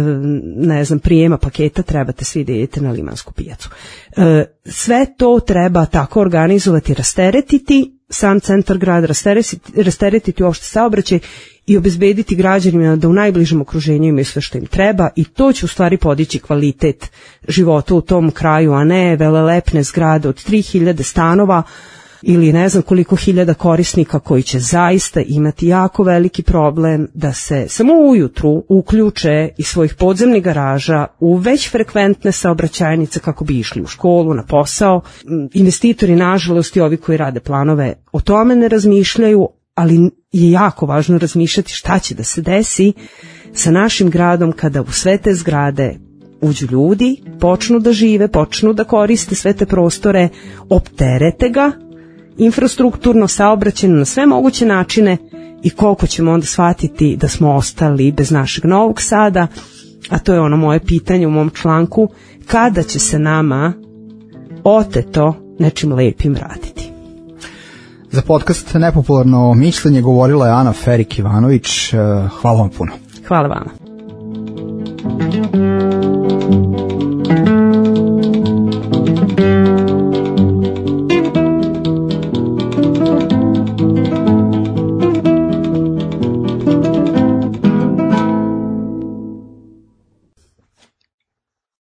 ne znam, prijema paketa trebate svi da idete na Limansku pijacu. E, sve to treba tako organizovati, rasteretiti sam centar grada, rasteretiti, rasteretiti uopšte saobraćaj i obezbediti građanima da u najbližem okruženju imaju sve što im treba i to će u stvari podići kvalitet života u tom kraju, a ne velelepne zgrade od tri hiljade stanova ili ne znam koliko hiljada korisnika koji će zaista imati jako veliki problem da se samo ujutru uključe iz svojih podzemnih garaža u već frekventne saobraćajnice kako bi išli u školu, na posao. Investitori, nažalost, i ovi koji rade planove o tome ne razmišljaju, ali je jako važno razmišljati šta će da se desi sa našim gradom kada u sve te zgrade uđu ljudi, počnu da žive, počnu da koriste sve te prostore, opterete ga infrastrukturno, saobraćajno na sve moguće načine i koliko ćemo onda shvatiti da smo ostali bez našeg Novog Sada, a to je ono moje pitanje u mom članku, kada će se nama oteto nečim lepim vratiti. Za podcast Nepopularno mišljenje govorila je Ana Ferik Ivanović. Hvala vam puno. Hvala vama.